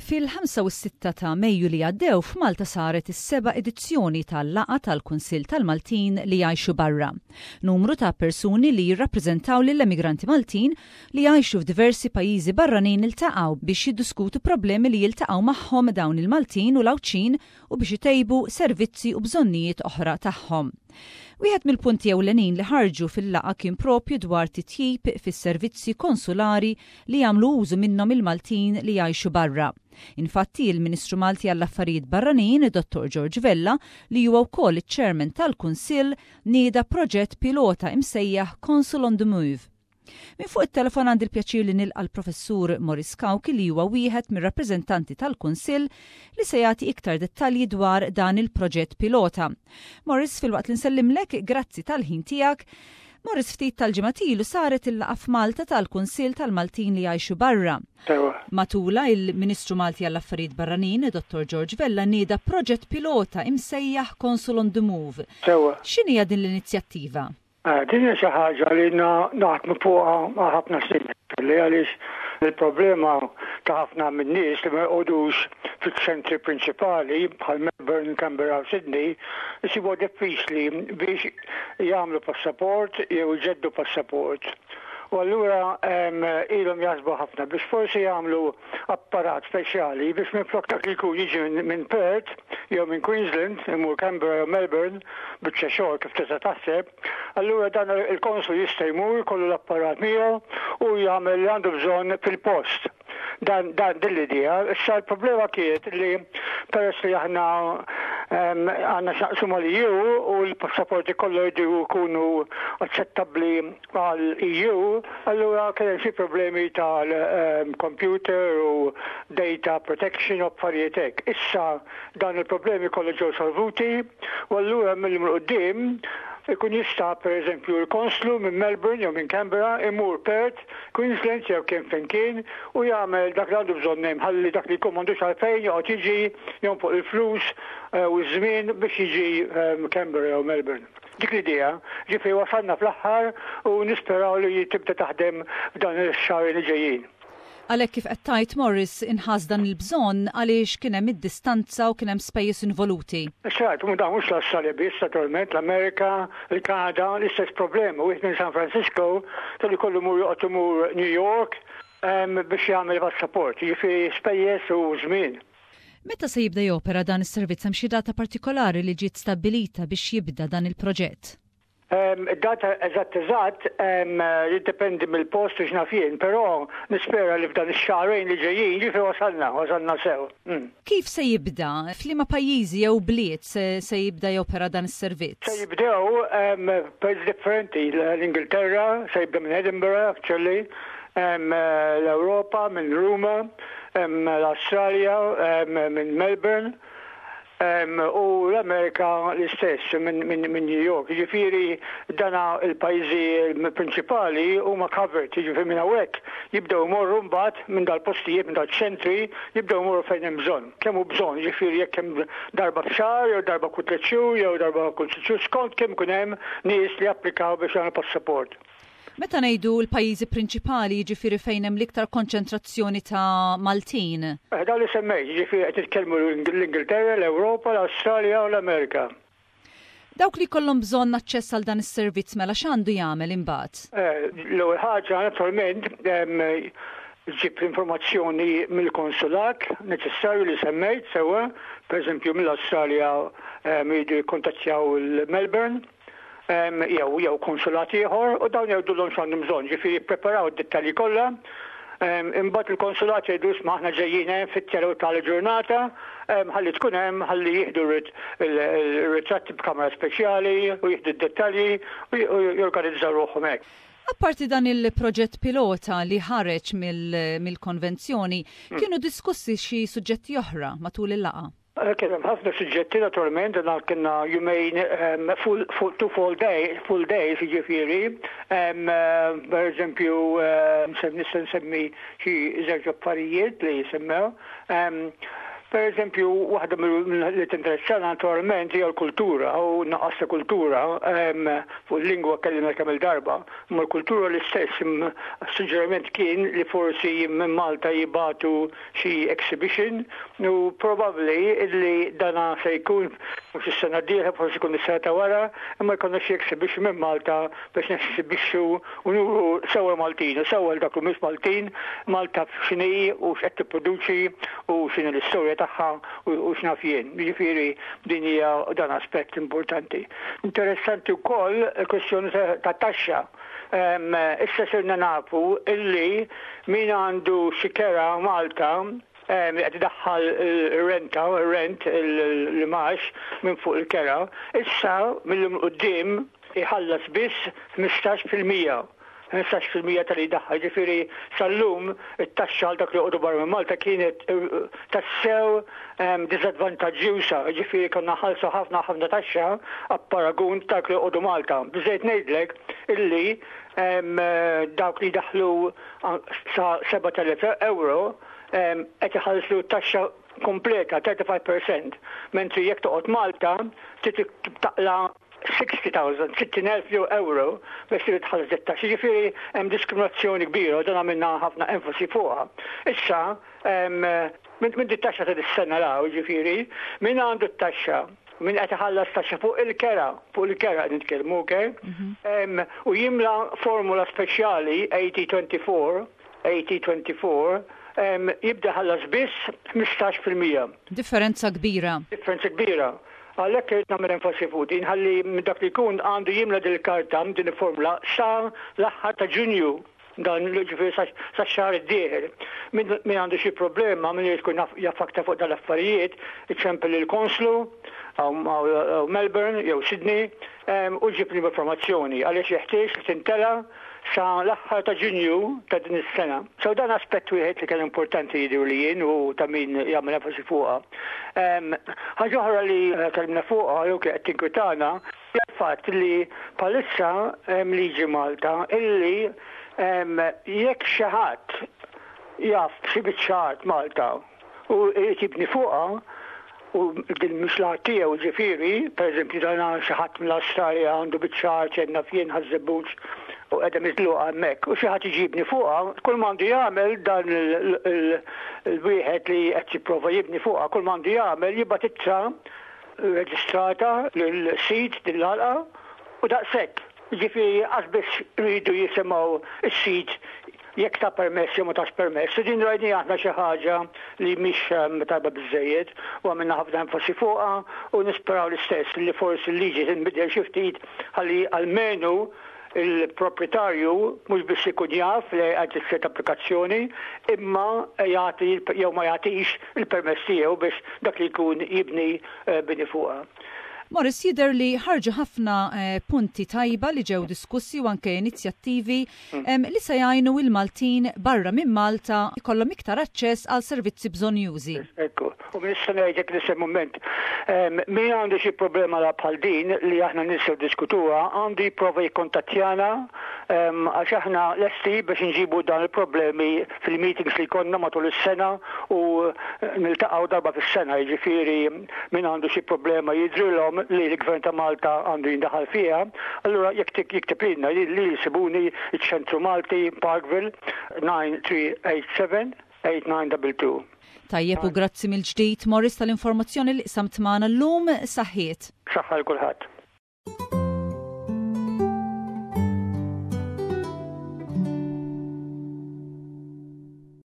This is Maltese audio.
Fil-5 u s-6 ta' Mejju li għaddew f'Malta saret is-seba' edizzjoni tal-laqgħa tal-Kunsill tal-Maltin li jgħixu barra. Numru ta' persuni li jirrappreżentaw lill-emigranti Maltin li jgħixu f'diversi pajjiżi barranin iltaqgħu biex jiddiskutu problemi li jiltaqgħu magħhom dawn il-Maltin u l-Għawdxin u biex itejbu servizzi u bżonnijiet oħra tagħhom. Wieħed mill-punti ewlenin li ħarġu fil-laqgħa kien propju dwar titjib fis-servizzi konsulari li jagħmlu użu minnhom il-Maltin li jgħixu barra. Infatti, il-Ministru Malti għall-Affarijiet Barranin, Dottor George Vella, li huwa wkoll iċ-Chairman tal-Kunsill, nieda proġett pilota imsejjaħ Consul on the Move. Minn fuq it-telefon għandi l-pjaċir li nilqa' l-Professur Maurice Cauchi li huwa wieħed mir-rappreżentanti tal-Kunsill li se jagħti iktar dettalji dwar dan il-proġett pilota. Maurice, filwaqt li nsellimlek, grazzi tal-ħin tiegħek. Maurice, ftit tal-ġimgħat ilu saret il-laqgħa f'Malta tal-Kunsill tal-Maltin li jgħixu barra. Matulha, il-Ministru Malti għall-Affarijiet Barranin, Dottor George Vella nieda proġett pilota imsejjaħ Consul on the Move. X'inhija din l-inizjattiva? Din hija xi ħaġa li ilna naħdmu fuqha għal ħafna snin li għaliex il-problema ta' ħafna min-nies li ma joqogħdux fiċ-ċentri prinċipali bħal Melbourne, Canberra u Sydney isibuha diffiċli biex jagħmlu passaport jew iġeddu passaport. U allura ilhom jaħsbu ħafna biex forsi jagħmlu apparat speċjali biex minflok dak li jkun jiġi minn Perth jew minn Queensland, imur Canberra jew Melbourne, biċċa xogħol kif tista' taħseb, allura dan il-konsul jista' jmur jkollu l-apparat miegħu u jagħmel li għandu bżonn fil-post. Dan, dan din l-idea. Issa l-problema kienet li peress li aħna għandna x'naqsmu mal-EU u l-passaporti kollha jridu jkunu aċċettabbli għal-EU, allura kien hemm xi problemi tal-computer u data protection u affarijiet hekk. Issa dan il-problemi kollha ġew solvuti u allura mill-lum 'il quddiem ikun jista' pereżempju l-konslu minn Melbourne jew minn Canberra imur Perth, Queensland jew kien fejn kien u jagħmel dak li għandu bżonn hemm ħalli dak li jkun m'għandux għalfejn joqgħod jiġi jonfoq il-flus u ż-żmien biex jiġi Canberra jew Melbourne. Dik l-idea, ġifieri wasalna fl-aħħar u nisperaw li tibda taħdem f'dan ix-xahrejn li ġejjin. Għalhekk kif qed tgħid Morris inħass dan il-bżonn għaliex kien hemm id-distanza u kien hemm spejjeż involuti. Eżatt, u dan mhux l-Awstralja biss naturalment, l-Amerika, il-Kanada, l-istess problema. Wieħed minn San Francisco kellu jkollu jmur joqgħod imur New York biex jagħmel passaport, jiġifieri spejjeż u żmien. Meta se jibda jopera dan is-servizz? Hemm xi data partikolari li ġiet stabbilita biex jibda dan il-proġett? Id-data eżatt eżatt jiddependi mill-post u x'naf jien, però nispera li f'dan ix-xahrejn li ġejjin, jiġifieri wasalna, wasalna sew. Kif se jibda? F'liema pajjiżi jew bliet se jibda jopera dan is-servizz? Se jibdew f'pajjiżi differenti, l-Ingilterra, se jibda minn Edinburgh actually, l-Ewropa minn Ruma, l-Awstralja minn Melbourne u l-Amerika l-istess minn New York. Jiġifieri dana il-pajjiżi prinċipali huma covered, jiġifieri minn hawnhekk jibdew imorru mbagħad minn dal-postijiet, minn dal-ċentri, jibdew imorru fejn hemm bżonn. Kemm hu bżonn, jiġifieri jekk hemm darba f'xahar jew darba kull tliet xhur jew darba kull sitt xhur skont kemm ikun hemm nies li japplikaw biex jagħmlu passaport. Meta ngħidu l-pajjiżi prinċipali jiġifieri fejn hemm l-iktar konċentrazzjoni ta' Maltin? Eh, dawn li semmejt, jiġifieri qed nitkellmu l-Ingilterra, l-Ewropa, l-Awstralja u l-Amerika. Dawk li jkollhom bżonn aċċess għal dan is-servizz mela x'għandu jagħmel imbagħad? Eh, l-ewwel ħaġa naturalment ġib l-informazzjoni mill-konsulat neċessarju li semmejt sewwa, pereżempju mill-Awstralja jridu jikkontattjaw il-Melbourne jew jew konsulat ieħor u dawn jgħidulhom x'għandhom bżonn, ġifieri jippreparaw id-dettalji kollha. Imbagħad il-konsulat jgħidu isma' aħna ġejjin hemm fit-tjela u tal-ġurnata, ħalli tkun hemm ħalli jieħdu r-ritratti b'kamera speċjali u jieħdu d-dettalji u jorganizzaw ruħhom hekk. Apparti dan il-proġett pilota li ħareġ mill-konvenzjoni, kienu diskussi xi suġġetti oħra matul il-laqgħa? Kien hemm ħafna suġġetti naturalment, dan kienna jumejn full, two full day, full days jiġifieri. Per eżempju, nista' nsemmi xi żewġ affarijiet li semmew. Per eżempju, waħda li tinteressana naturalment hija l-kultura u naqas ta' kultura fuq il-lingwa kellimna kemm il-darba, imma l-kultura l-istess suġġeriment kien li forsi minn Malta jibatu xi exhibition u probabbli li dana se jkun mhux is-sena d-dieħla forsi jkun is-sena ta' wara, imma jkollna xi exhibition minn Malta biex nesibixxu u nuru sewwa l-Maltin u sewwa 'l dak li mhumiex Maltin, Malta x'inhi u x'qed tipproduċi u x'inhi l-istorja tagħha u x'naf jien. Jiġifieri din hija dan aspett importanti. Interessanti wkoll il-kwestjoni ta' taxxa. Issa sirna nafu illi min għandu xi kera Malta li qed idaħħal ir-renta, ir-rent, l-imgħax minn fuq il-kera, issa mil-lum 'il quddiem iħallas biss 15%, 15% tal-li jdaħħal, ġifieri sal-lum it-taxxa għal dak li joqogħdu barra minn Malta kienet tassew diżadvantaġġjuża, ġifieri konna nħallsu ħafna ħafna taxxa apparagun dak li joqogħdu Malta. Biżejjed ngħidlek illi dawk li jdaħħlu sa 7,000 euro qed iħallsu taxxa kompleta 35%, mentri jekk toqgħod Malta trid taqla' 60,000, 60,000 jew euro biex trid tħallas dit-taxxa. Jiġifieri hemm diskriminazzjoni kbira u dan għamilna ħafna enfasi fuqha. Issa, minn dit-taxxa ta' dis-sena 'l hawn, jiġifieri, min għandu t-taxxa, min qed iħallas taxxa fuq il-kera, fuq il-kera qed nitkellmu, okay? U jimla formula speċjali AT24, AT24, jibda jħallas biss 15%. Differenza kbira. Differenza kbira. Għalhekk irrid nagħmel enfasi fuq din ħalli minn dak li jkun għandu jimla din il-karta, din il-formula sa l-aħħar ta' Ġunju dan ġifieri sa xahar id-dieħel. Min għandu xi problema, min irid ikun jaf aktar fuq dal-affarijiet, iċempel lill-konslu hawn Melbourne jew Sydney u jġib l-informazzjoni għaliex jeħtieġ li tintela' sa l-aħħar ta' Ġunju ta' din is-sena. So dan aspett wieħed li kien importanti jidhirli jien u ta' min jagħmel enfasi fuqha. Ħaġa oħra li kellimna fuqha jew qed tinkwitana hija l-fatt li bħalissa hemm liġi Malta illi jekk xi ħadd jaf b'xi biċċa art Malta u jrid jibni fuqha u din mhux l-art tiegħu ġifieri, pereżempju dan xi ħadd mill-Awstralja għandu biċċa art x'għedna f'jien Ħaż-Żebbuġ u qiegħda miżluqa hemmhekk u xi ħadd jiġi jibni fuqha, kull m'għandu jagħmel dan il-wieħed li qed jipprova jibni fuqha, kull m'għandu jagħmel jibgħat ittra reġistrata lil sid din l-għalqa u daqshekk. Jiġifieri qas biss iridu jisimgħu s-sid jekk ta permess jew ma tax permess. U din rajniha aħna xi ħaġa li mhix tajba biżżejjed u għamilna ħafna enfasi fuqha u nisperaw l-istess li forsi l-liġi tinbidel xi ftit ħalli almenu il-proprietarju mhux biss ikun jaf li qed issir applikazzjoni imma jagħti jew ma jagħtix il-permess tiegħu biex dak li jkun jibni bini fuqha. Morris, jidher li ħarġu ħafna punti tajba li ġew diskussi u anke inizjattivi li se jgħinu il-Maltin barra minn Malta jkollhom iktar aċċess għal servizzi bżonnjużi. Ekku, u nista' ngħidlek l-istess mument. Min għandu xi problema la bħal din li aħna nistgħu diskutuha, għandu jipprova jikkontattjana għax aħna lesti biex nġibu dan il-problemi fil-meetings li jkollna matul is-sena u niltaqgħu darba fis-sena, jiġifieri min għandu xi problema jidhrilhom li l-Gvern ta' Malta għandu jindaħal fiha, allura jekk jikteb lilna li jsibuni iċ-Ċentru Malti Parkville 9387 8922. Tajjeb u grazzi mill-ġdid Morris tal-informazzjoni li qsamt magħna llum saħħiet. Saħħa lil kulħadd.